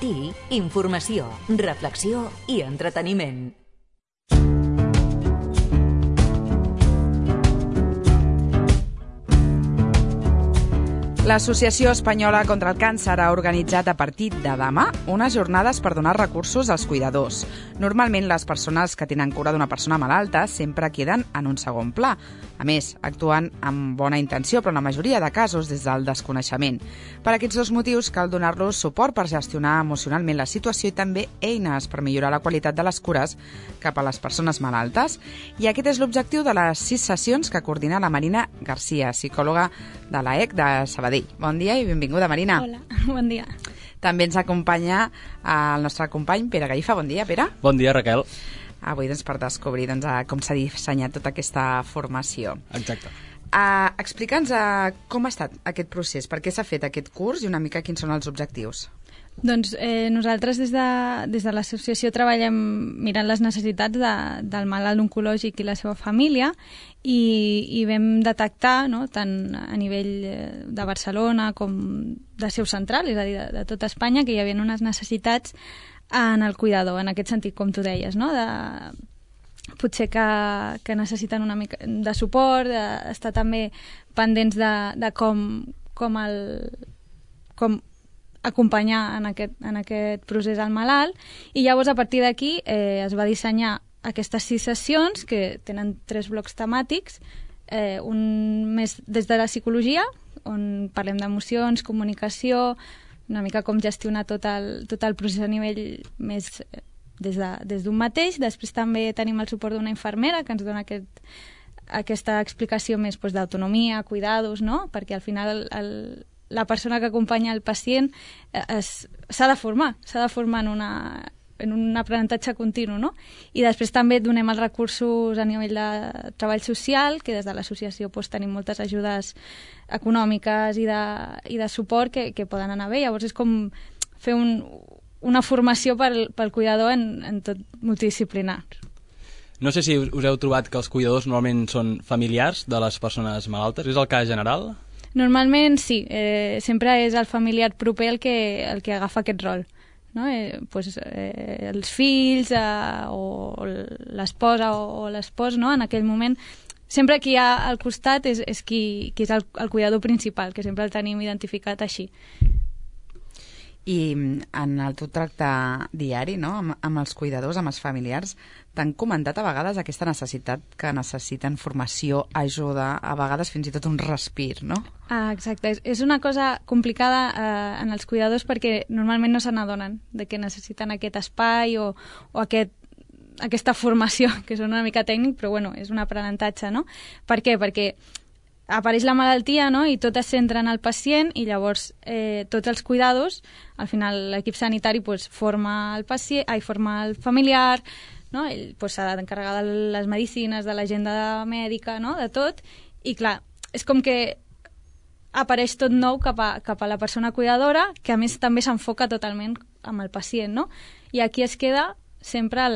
matí, informació, reflexió i entreteniment. L'Associació Espanyola contra el Càncer ha organitzat a partir de demà unes jornades per donar recursos als cuidadors. Normalment, les persones que tenen cura d'una persona malalta sempre queden en un segon pla. A més, actuen amb bona intenció, però en la majoria de casos des del desconeixement. Per aquests dos motius cal donar-los suport per gestionar emocionalment la situació i també eines per millorar la qualitat de les cures cap a les persones malaltes. I aquest és l'objectiu de les 6 sessions que coordina la Marina Garcia, psicòloga de l'AEC de Sabadell. Bon dia i benvinguda, Marina. Hola, bon dia. També ens acompanya el nostre company Pere Gallifa. Bon dia, Pere. Bon dia, Raquel. Avui per descobrir com s'ha dissenyat tota aquesta formació. Exacte. Explica'ns com ha estat aquest procés, per què s'ha fet aquest curs i una mica quins són els objectius. Doncs nosaltres des de l'associació treballem mirant les necessitats del malalt oncològic i la seva família i vam detectar, no, tant a nivell de Barcelona com de seu central, és a dir, de tota Espanya, que hi havia unes necessitats en el cuidador, en aquest sentit, com tu deies, no? Potser que necessiten una mica de suport, d'estar també pendents de com acompanyar en aquest procés al malalt, i llavors a partir d'aquí es va dissenyar aquestes 6 sessions que tenen 3 blocs temàtics, un més des de la psicologia, on parlem d'emocions, comunicació, una mica com gestionar tot el procés a nivell més des d'un mateix. Després també tenim el suport d'una infermera que ens dona aquesta explicació més d'autonomia, cuidados, no? Perquè al final la persona que acompanya el pacient s'ha de formar en un aprenentatge continu, no? I després també donem els recursos a nivell de treball social, que des de l'associació tenim moltes ajudes econòmiques i de suport que poden anar bé. Llavors és com fer una formació pel cuidador en tot multidisciplinar. No sé si us heu trobat que els cuidadors normalment són familiars de les persones malaltes. És el cas general? Normalment sí, sempre és el familiar proper el que agafa aquest rol, no? Els fills o l'esposa o l'espòs, no? En aquell moment, sempre qui hi ha al costat és qui és el cuidador principal, que sempre el tenim identificat així. I en el teu tracte diari, no? amb els cuidadors, amb els familiars, t'han comentat a vegades aquesta necessitat que necessiten formació, ajuda, a vegades fins i tot un respir, no? Exacte. És una cosa complicada en els cuidadors perquè normalment no se n'adonen de que necessiten aquest espai o aquesta formació, que és una mica tècnic, però bueno, és un aprenentatge, no? Per què? Perquè apareix la malaltia, no? I tot es centra en el pacient i llavors tots els cuidados, al final l'equip sanitari forma el familiar, no? Ell s'ha d'encarregar de les medicines, de l'agenda mèdica, no? De tot, i clar, és com que apareix tot nou cap a la persona cuidadora, que a més també s'enfoca totalment amb el pacient, no? I aquí es queda sempre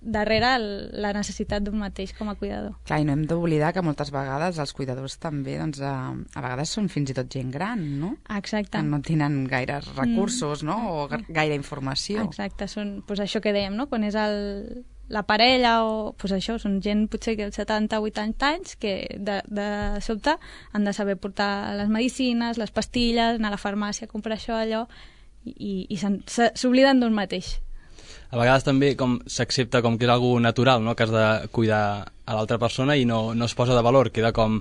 darrere la necessitat d'un mateix com a cuidador. Clar, i no hem d'oblidar que moltes vegades els cuidadors també, doncs, a vegades són fins i tot gent gran, no? Exacte. Que no tenen gaires recursos, no? O gaire informació. Exacte, són això que dèiem, no? Quan és la parella o això, són gent potser que 70 o 80 anys que de sobte han de saber portar les medicines, les pastilles, anar a la farmàcia a comprar això, allò, i s'obliden d'un mateix. A vegades també s'accepta com que és algo natural, no? Que has de cuidar a l'altra persona i no es posa de valor, queda com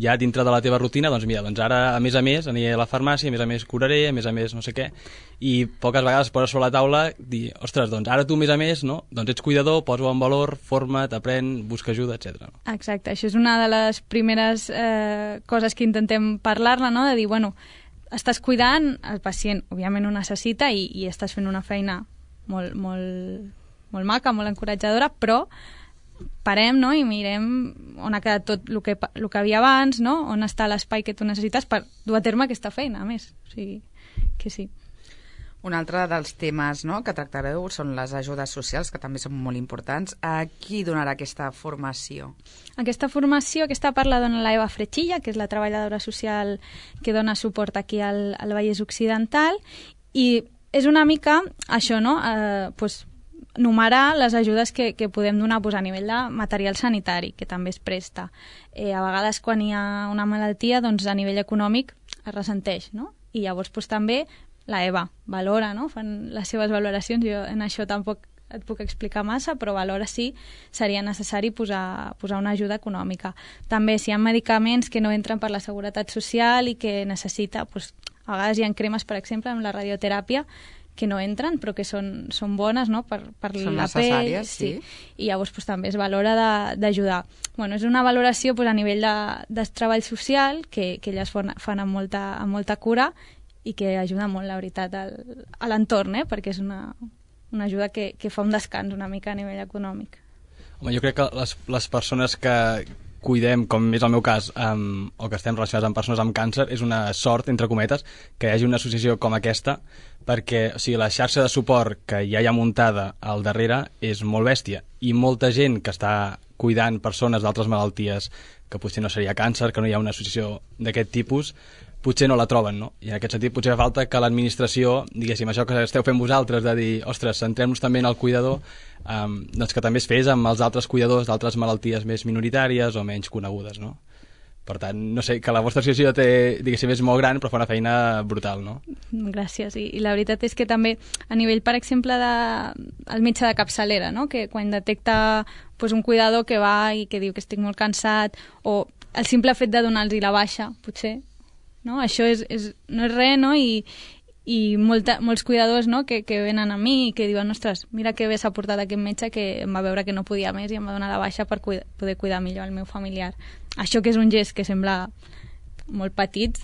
ja dintre de la teva rutina, doncs mira, ara a més aniré a la farmàcia, a més curaré, a més no sé què, i poques vegades poses sobre la taula dir, ostres, doncs ara tu a més, no? Doncs ets cuidador, posa-ho en valor, forma't, aprèn, busca ajuda, etc. Exacte, això és una de les primeres coses que intentem parlar-ne, no? De dir, bueno, estàs cuidant, el pacient òbviament ho necessita i estàs fent una feina molt maca, molt encoratjadora, però parem, no? I mirem on ha quedat tot el que hi havia abans, no? On està l'espai que tu necessites per dur a terme aquesta feina, a més. O sigui, que sí. Un altre dels temes, no, que tractareu són les ajudes socials, que també són molt importants. A qui donarà aquesta formació? Aquesta part la dona la Eva Frechilla, que és la treballadora social que dona suport aquí al Vallès Occidental, i és una mica això, no? Numerar les ajudes que podem donar a nivell de material sanitari, que també es presta. A vegades, quan hi ha una malaltia, doncs a nivell econòmic es ressenteix, no? I llavors també la EVA valora, no? Fan les seves valoracions. Jo en això tampoc et puc explicar massa, però valora si seria necessari posar una ajuda econòmica. També, si hi ha medicaments que no entren per la Seguretat Social i que necessita, doncs, a vegades hi ha cremes, per exemple, amb la radioteràpia, que no entren, però que són bones, no?, per són la necessàries, pell. sí. I llavors també es valora d'ajudar. Bueno, és una valoració a nivell de treball social que elles fan amb molta cura i que ajuda molt, la veritat, a l'entorn, perquè és una ajuda que fa un descans una mica a nivell econòmic. Home, jo crec que les persones que cuidem, com és el meu cas, o que estem relacionats amb persones amb càncer, és una sort, entre cometes, que hi hagi una associació com aquesta, perquè la xarxa de suport que ja hi ha muntada al darrere és molt bèstia, i molta gent que està cuidant persones d'altres malalties, que potser no seria càncer, que no hi ha una associació d'aquest tipus, potser no la troben, no? I en aquest sentit potser fa falta que l'administració, diguéssim, això que esteu fent vosaltres, de dir, ostres, centrem-nos també en el cuidador, doncs que també es fes amb els altres cuidadors d'altres malalties més minoritàries o menys conegudes, no? Per tant, no sé, que la vostra associació diguéssim, és molt gran, però fa una feina brutal, no? Gràcies. I la veritat és que també, a nivell, per exemple, el metge de capçalera, no?, que quan detecta un cuidador que va i que diu que estic molt cansat, o el simple fet de donar-los la baixa, potser, no? Això no és res, no? I molts cuidadors, no?, que venen a mi i que diuen, ostres, mira que bé s'ha portat aquest metge que em va veure que no podia més i em va donar la baixa per poder cuidar millor el meu familiar. Això, que és un gest que sembla molt petit,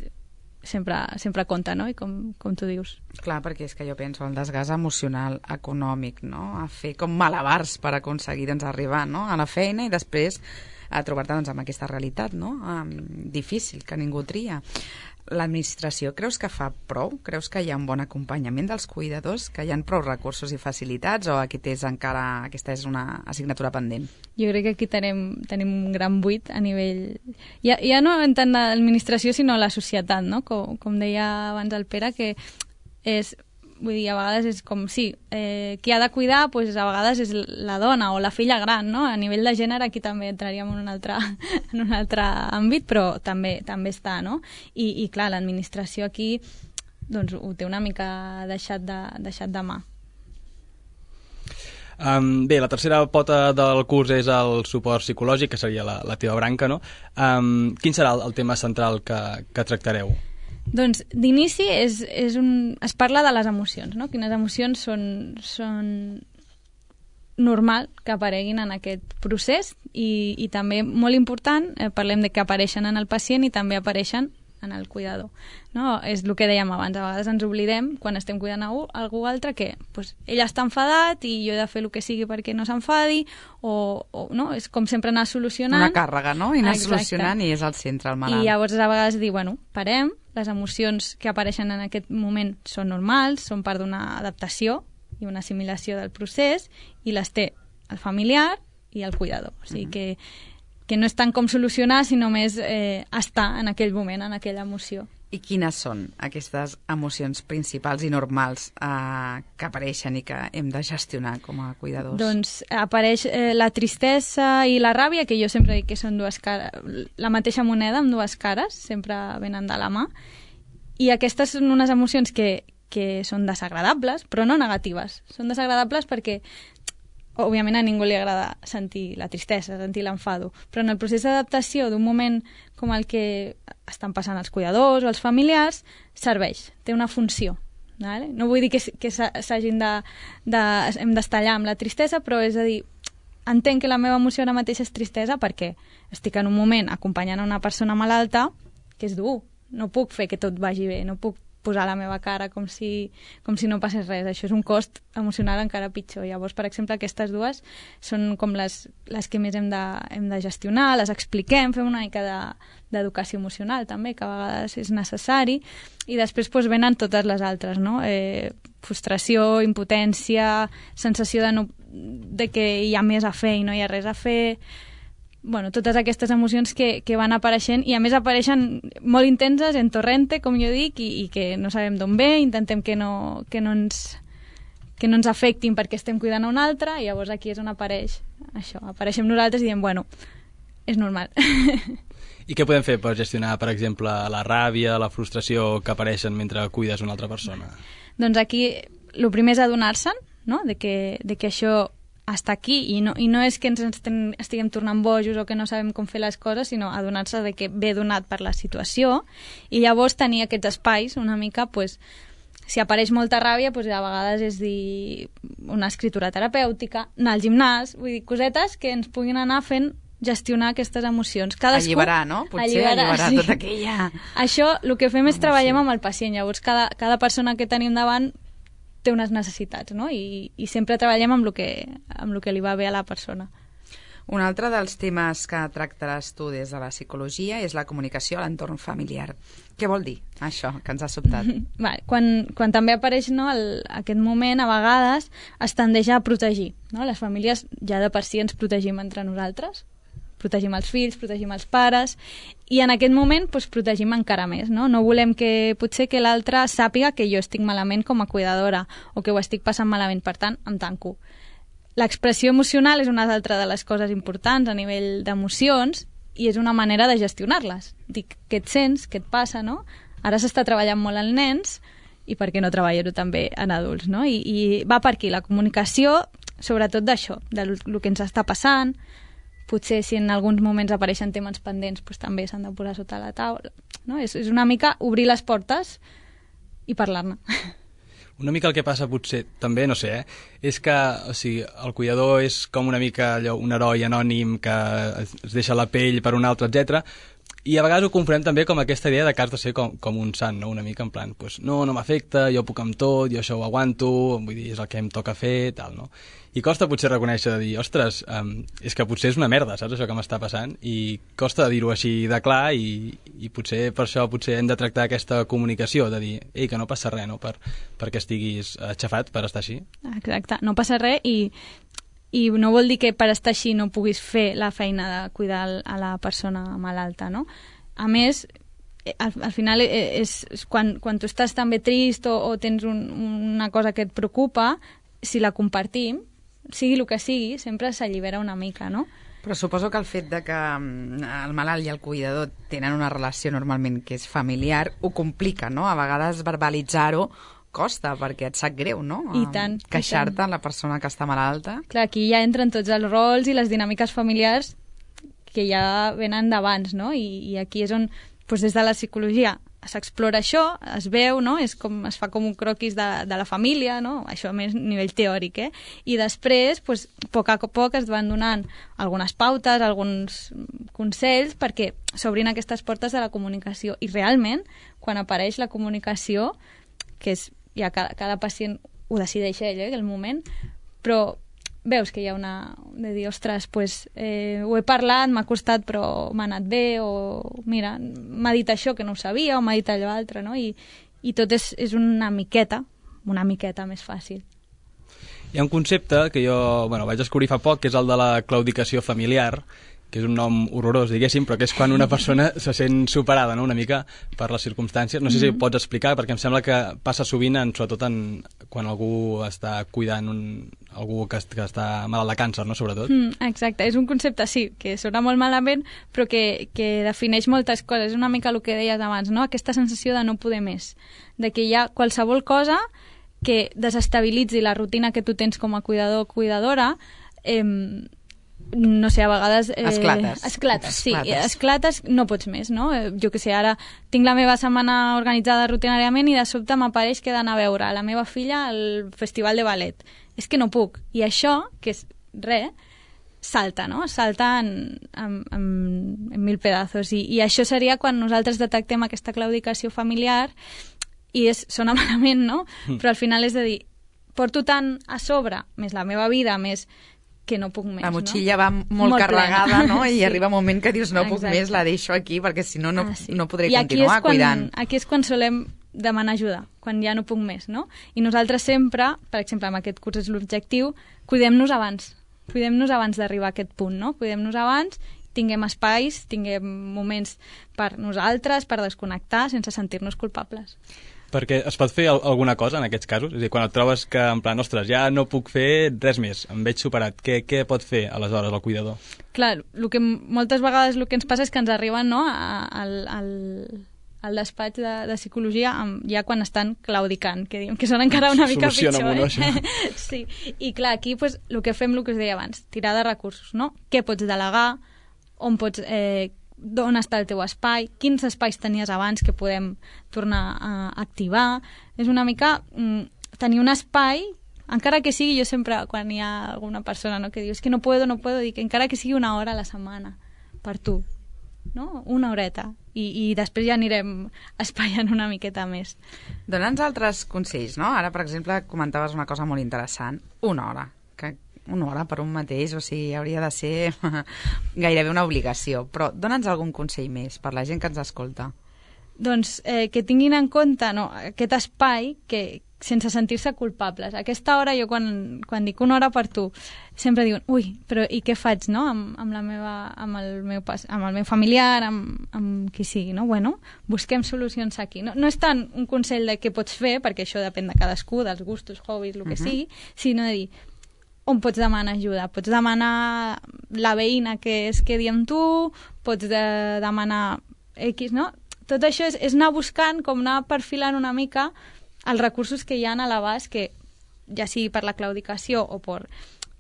sempre compta, no? I com tu dius. Clar, perquè és que jo penso el desgast emocional, econòmic, no? A fer com malabars per aconseguir arribar, no?, a la feina i després a trobar-te amb aquesta realitat, no?, difícil, que ningú tria. L'administració creus que fa prou? Creus que hi ha un bon acompanyament dels cuidadors? Que hi ha prou recursos i facilitats? O aquesta és una assignatura pendent? Jo crec que aquí tenim un gran buit a nivell... Ja no en tant l'administració, sinó la societat, no? Com deia abans el Pere, que és... Vull dir, a vegades és com, sí, qui ha de cuidar, doncs a vegades és la dona o la filla gran, no? A nivell de gènere aquí també entraríem en un altre àmbit, però també està, no? I clar, l'administració aquí doncs ho té una mica deixat de mà. Bé, la tercera pota del curs és el suport psicològic, que seria la teva branca, no? Quin serà el tema central que tractareu? Doncs d'inici es parla de les emocions, no? Quines emocions són normal que apareguin en aquest procés i també, molt important, parlem de que apareixen en el pacient i també apareixen en el cuidador, no? És el que dèiem abans, a vegades ens oblidem quan estem cuidant algú altre que ell està enfadat i jo he de fer el que sigui perquè no s'enfadi o no? És com sempre anar solucionant. Una càrrega, no? I anar solucionant i és al centre el malalt. I llavors a vegades dir, parem, les emocions que apareixen en aquest moment són normals, són part d'una adaptació i una assimilació del procés i les té el familiar i el cuidador. O sigui que no és tant com solucionar, sinó més estar en aquell moment, en aquella emoció. I quines són aquestes emocions principals i normals que apareixen i que hem de gestionar com a cuidadors? Doncs apareix la tristesa i la ràbia, que jo sempre dic que són la mateixa moneda amb dues cares, sempre venen de la mà. I aquestes són unes emocions que són desagradables, però no negatives. Són desagradables perquè òbviament a ningú li agrada sentir la tristesa, sentir l'enfado, però en el procés d'adaptació d'un moment com el que estan passant els cuidadors o els familiars, serveix, té una funció. Vale? No vull dir que s'hagin hem d'estallar amb la tristesa, però és a dir, entenc que la meva emoció ara mateix és tristesa perquè estic en un moment acompanyant una persona malalta que és dur, no puc fer que tot vagi bé, no puc posar la meva cara com si no passés res. Això és un cost emocional encara pitjor. Llavors, per exemple, aquestes dues són com les que més hem de gestionar, les expliquem, fem una mica d'educació emocional també, que a vegades és necessari, i després venen totes les altres, no? Frustració, impotència, sensació de que hi ha més a fer i no hi ha res a fer, totes aquestes emocions que van apareixent, i a més apareixen molt intenses, en torrente, com jo dic, i que no sabem d'on ve, intentem que no ens afectin perquè estem cuidant a un altre, i llavors aquí és on apareix això. Apareixem nosaltres i diem, bueno, és normal. I què podem fer per gestionar, per exemple, la ràbia, la frustració que apareixen mentre cuides una altra persona? Doncs aquí el primer és adonar-se'n, no? de que això està aquí, i no és que ens estiguem tornant bojos o que no sabem com fer les coses, sinó adonar-se de que ve donat per la situació, i llavors tenir aquests espais una mica, pues, si apareix molta ràbia, pues, a vegades és dir una escritura terapèutica, anar al gimnàs, vull dir, cosetes que ens puguin anar fent gestionar aquestes emocions. Alliberar, no? Potser alliberar sí. Tota aquella... Això, el que fem és treballem amb el pacient, llavors cada persona que tenim davant té unes necessitats, no? I sempre treballem amb el que li va bé a la persona. Un altre dels temes que tractaràs tu des de la psicologia és la comunicació a l'entorn familiar. Què vol dir això que ens ha sobtat? Vale, quan també apareix, no, aquest moment, a vegades es tendeix a protegir. No? Les famílies ja de per si ens protegim entre nosaltres, protegim els fills, protegim els pares, i en aquest moment doncs, protegim encara més. No volem que potser que l'altre sàpiga que jo estic malament com a cuidadora o que ho estic passant malament, per tant, em tanco. L'expressió emocional és una altra de les coses importants a nivell d'emocions, i és una manera de gestionar-les. Dic, què et sents, què et passa, no? Ara s'està treballant molt en nens, i per què no treballar-ho també en adults, no? I va per aquí, la comunicació, sobretot d'això, del que ens està passant. Potser si en alguns moments apareixen temes pendents, doncs també s'han de posar sota la taula. No? És una mica obrir les portes i parlar-ne. Una mica el que passa potser, també, no sé, és que el cuidador és com una mica allò, un heroi anònim que es deixa la pell per un altre, etc. I a vegades ho confondem també com aquesta idea de que has de ser com un sant, no? Una mica en plan, pues, no m'afecta, jo puc amb tot, jo això ho aguanto, vull dir, és el que em toca fer, tal, no? I costa potser reconèixer de dir, ostres, és que potser és una merda, saps, això que m'està passant? I costa dir-ho així de clar, i potser per això hem de tractar aquesta comunicació, de dir, ei, que no passa res, no?, perquè estiguis aixafat per estar així. Exacte, no passa res, i no vol dir que per estar així no puguis fer la feina de cuidar a la persona malalta, no? A més, al final és quan tu estàs també trist o tens una cosa que et preocupa, si la compartim, sigui el que sigui, sempre s'allibera una mica, no? Però suposo que el fet de que el malalt i el cuidador tenen una relació normalment que és familiar ho complica, no? A vegades verbalitzar-ho costa, perquè et sap greu, no? I tant. Queixar-te a la persona que està malalta. Clar, aquí ja entren tots els rols i les dinàmiques familiars que ja venen d'abans, no? I aquí és on, doncs, des de la psicologia s'explora això, es veu, no? Es fa com un croquis de la família, no? Això més a nivell teòric, I després, doncs, a poc a poc es van donant algunes pautes, alguns consells perquè s'obrin aquestes portes de la comunicació. I realment, quan apareix la comunicació, que és ja cada pacient ho decideix ell, el moment, però veus que hi ha de dir, ostres, pues, ho he parlat, m'ha costat, però m'ha anat bé, o mira, m'ha dit això que no ho sabia, o m'ha dit allò altre, no? I tot és una miqueta més fàcil. Hi ha un concepte que jo vaig descobrir fa poc, que és el de la claudicació familiar, que és un nom horrorós, diguéssim, però que és quan una persona se sent superada, no?, una mica per les circumstàncies. No sé si ho pots explicar, perquè em sembla que passa sovint, sobretot quan algú està cuidant algú que està malalt de càncer, no?, sobretot. Exacte, és un concepte, sí, que sona molt malament, però que defineix moltes coses. És una mica el que deies abans, no?, aquesta sensació de no poder més, de que hi ha qualsevol cosa que desestabilitzi la rutina que tu tens com a cuidador o cuidadora, no sé, a vegades... Esclates, no pots més, no? Jo que sé, ara tinc la meva setmana organitzada rutinàriament i de sobte m'apareix que he d'anar a veure la meva filla al festival de ballet. És que no puc. I això, que és res, salta, no? Salta en mil pedazos. I això seria quan nosaltres detectem aquesta claudicació familiar i sona malament, no? Però al final és de dir, porto tant a sobre, més la meva vida, més... que no puc més, la motxilla, no? Va molt carregada, no? I sí. Arriba un moment que dius, no puc més, la deixo aquí, perquè si no, no podré continuar cuidant. Aquí és quan solem demanar ajuda, quan ja no puc més, no? I nosaltres sempre, per exemple, amb aquest curs és l'objectiu, cuidem-nos abans d'arribar a aquest punt, no? Cuidem-nos abans, tinguem espais, tinguem moments per nosaltres, per desconnectar, sense sentir-nos culpables. Perquè es pot fer alguna cosa en aquests casos? És a dir, quan et trobes que, en plan, ostres, ja no puc fer res més, em veig superat, què pot fer aleshores el cuidador? Clar, moltes vegades el que ens passa és que ens arriben, no, al despatx de psicologia ja quan estan claudicant, que diem que són encara una mica pitjor. Sí, i clar, aquí pues, el que fem, el que us deia abans, tirar de recursos, no? Què pots delegar, on pots... d'on està el teu espai, quins espais tenies abans que podem tornar a activar. És una mica tenir un espai, encara que sigui, jo sempre, quan hi ha alguna persona, no, que diu, és que no puedo, dic, encara que sigui una hora a la setmana, per tu, no? Una horeta. I després ja anirem espaiant una miqueta més. Dona'ns altres consells, no? Ara, per exemple, comentaves una cosa molt interessant, una hora, una hora per un mateix, o sigui, hauria de ser gairebé una obligació. Però dona'ns algun consell més per la gent que ens escolta. Doncs que tinguin en compte aquest espai que sense sentir-se culpables. A aquesta hora, jo quan dic una hora per tu, sempre diuen, ui, però i què faig, no? amb el meu familiar, amb qui sigui, no? Bueno, busquem solucions aquí. No és tant un consell de què pots fer, perquè això depèn de cadascú, dels gustos, hobbies, el que sigui, sinó de dir, on pots demanar ajuda? Pots demanar la veïna que es quedi amb tu, pots demanar X, no? Tot això és anar buscant, com anar perfilant una mica els recursos que hi ha a l'abast, que ja sigui per la claudicació o per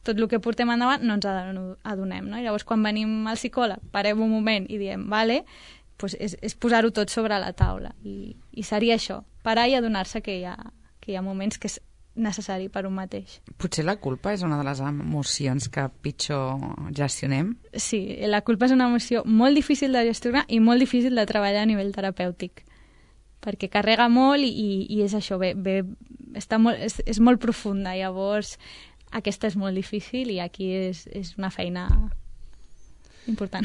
tot el que portem endavant, no ens adonem, no? I llavors, quan venim al psicòleg, parem un moment i diem, vale, pues és posar-ho tot sobre la taula. I seria això, parar i adonar-se que hi ha moments que és necessari per un mateix. Potser la culpa és una de les emocions que pitjor gestionem? Sí, la culpa és una emoció molt difícil de gestionar i molt difícil de treballar a nivell terapèutic, perquè carrega molt i és això, és molt profunda, llavors aquesta és molt difícil i aquí és una feina important.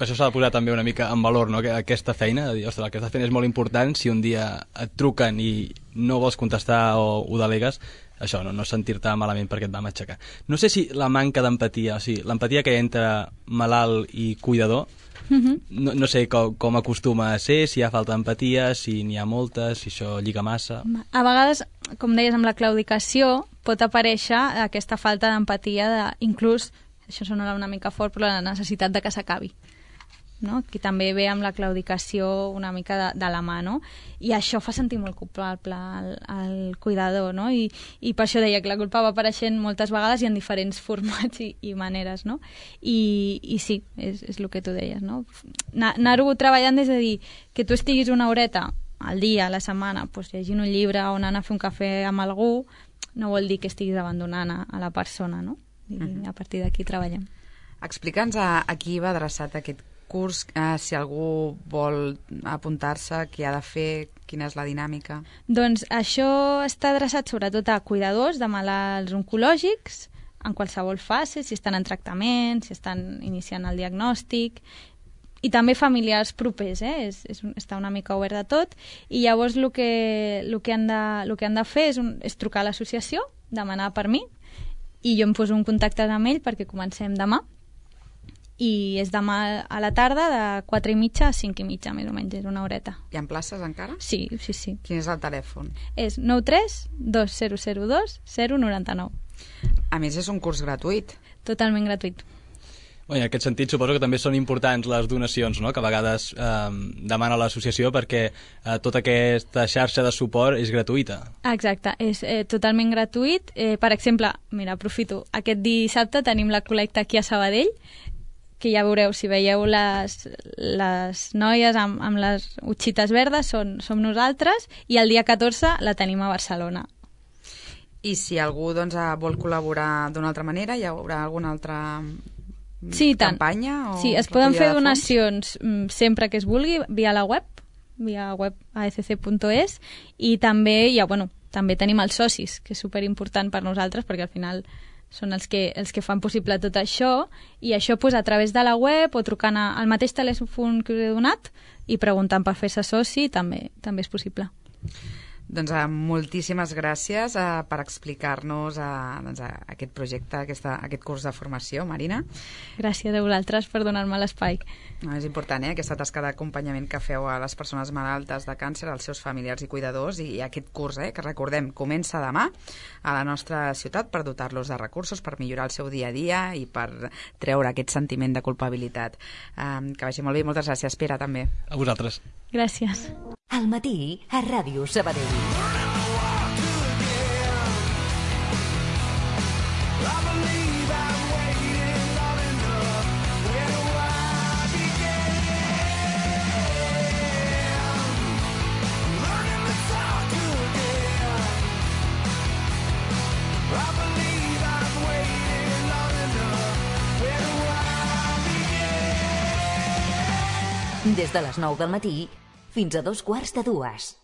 Per això s'ha de posar també una mica en valor, no? Aquesta feina, de dir, ostres, el que estàs fent és molt important, si un dia et truquen i no vols contestar o ho delegues, això, no sentir-te malament perquè et vam aixecar. No sé si la manca d'empatia, o sigui, l'empatia que hi ha entre malalt i cuidador, no sé com acostuma a ser, si hi ha falta d'empatia, si n'hi ha molta, si això lliga massa... A vegades, com deies, amb la claudicació pot aparèixer aquesta falta d'empatia, inclús, això sona una mica fort, però la necessitat de que s'acabi. No? Que també ve amb la claudicació una mica de la mà, no? I això fa sentir molt culpable al cuidador, no? I per això deia que la culpa va apareixent moltes vegades i en diferents formats i maneres, no? I sí, és el que tu deies, no? Anar-ho treballant des de dir que tu estiguis una horeta al dia, a la setmana, doncs, llegint un llibre o anant a fer un cafè amb algú, no vol dir que estiguis abandonant a la persona, no? I a partir d'aquí treballem. Explica'ns a qui va adreçat aquest curs, si algú vol apuntar-se, què ha de fer, quina és la dinàmica? Doncs això està adreçat sobretot a cuidadors de malalts oncològics, en qualsevol fase, si estan en tractament, si estan iniciant el diagnòstic, i també familiars propers, està una mica obert de tot, i llavors el que han de fer és trucar a l'associació, demanar per mi, i jo em poso en contacte amb ell perquè comencem demà, i és demà a la tarda de 4:30 a 5:30, més o menys, és una horeta. Hi ha places encara? Sí. Quin és el telèfon? És 93 2002 099. A més, és un curs gratuït. Totalment gratuït. En aquest sentit, suposo que també són importants les donacions, no?, que a vegades demana l'associació perquè tota aquesta xarxa de suport és gratuïta. Exacte, és totalment gratuït. Per exemple, mira, aprofito, aquest dissabte tenim la col·lecta aquí a Sabadell, que ja veureu, si veieu les noies amb les utxites verdes, som nosaltres, i el dia 14 la tenim a Barcelona. I si algú vol col·laborar d'una altra manera, hi haurà alguna altra campanya? Sí, es poden fer donacions sempre que es vulgui via la web aecc.es, i també també tenim els socis, que és superimportant per nosaltres, perquè al final són els que fan possible tot això, i això a través de la web o trucant al mateix telèfon que us he donat i preguntant per fer-se soci també és possible. Doncs moltíssimes gràcies per explicar-nos aquest projecte, aquest curs de formació, Marina. Gràcies a vosaltres per donar-me l'espai. És important, aquesta tasca d'acompanyament que feu a les persones malaltes de càncer, als seus familiars i cuidadors, i aquest curs, que recordem, comença demà a la nostra ciutat per dotar-los de recursos, per millorar el seu dia a dia i per treure aquest sentiment de culpabilitat. Que vagi molt bé i moltes gràcies, Pere, també. A vosaltres. Gràcies. Al matí a Ràdio Sabadell. Des de les 9 del matí fins a 2:15.